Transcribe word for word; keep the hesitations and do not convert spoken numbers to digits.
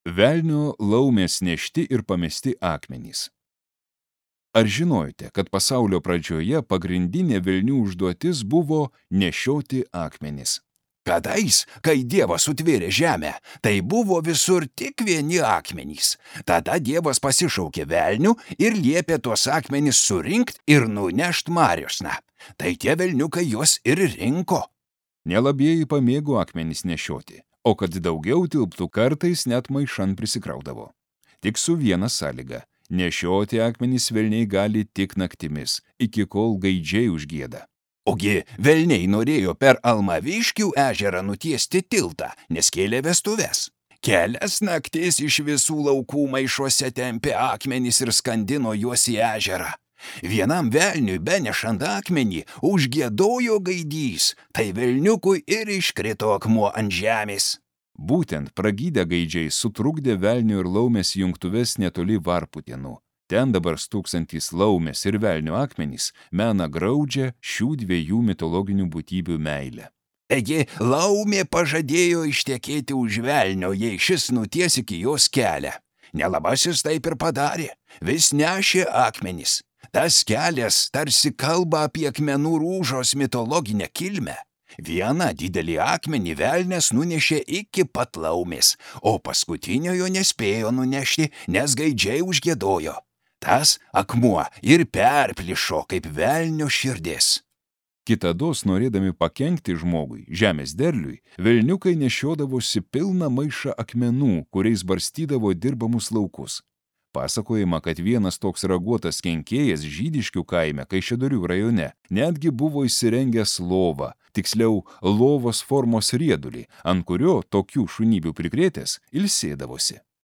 Velnio laumės nešti ir pamesti akmenys. Ar žinojote, kad pasaulio pradžioje pagrindinė velnių užduotis buvo nešioti akmenis? Kadais, kai Dievas sutvėrė žemę, tai buvo visur tik vieni akmenys. Tada Dievas pasišaukė velnių ir liepė tuos akmenis surinkt ir nunešt Mariosna. Tai tie velniukai juos ir rinko. Nelabieji pamėgo akmenis nešioti, o kad daugiau tilptų, kartais net maišan prisikraudavo. Tik su viena sąlyga – nešioti akmenis velniai gali tik naktimis, iki kol gaidžiai užgieda. Ogi velniai norėjo per Almaviškių ežerą nutiesti tiltą, nes kėlė vestuves. Kelias naktis iš visų laukų maišuose tempė akmenys ir skandino juos į ežerą. Vienam velniui benešant akmenį užgiedojo gaidys, tai velniukui ir iškrito akmuo ant žemės. Būtent pragydę gaidžiai sutrukdė velnio ir laumės jungtuves netoli Varputienų. Ten dabar stūksantys laumės ir velnio akmenys mena graudžią šių dviejų mitologinių būtybių meilę. Taigi laumė pažadėjo ištekėti už velnio, jei šis nuties iki jos kelią. Nelabasis taip ir padarė, vis nešė akmenys. Tas kelias tarsi kalba apie akmenų rūžos mitologinę kilmę. Vieną didelį akmenį velnias nunešė iki pat laumės, o paskutiniojo nespėjo nunešti, nes gaidžiai užgiedojo. Tas akmuo ir perplyšo kaip velnio širdis. Kitados, norėdami pakenkti žmogui, žemės derliui, velniukai nešiodavosi pilną maišą akmenų, kuriais barstydavo dirbamus laukus. Pasakojama, kad vienas toks raguotas kenkėjas Žydiškių kaime Kaišiadorių rajone netgi buvo įsirengęs lovą, tiksliau lovos formos riedulį, ant kurio tokių šunybių prikrėtęs ilsėdavosi.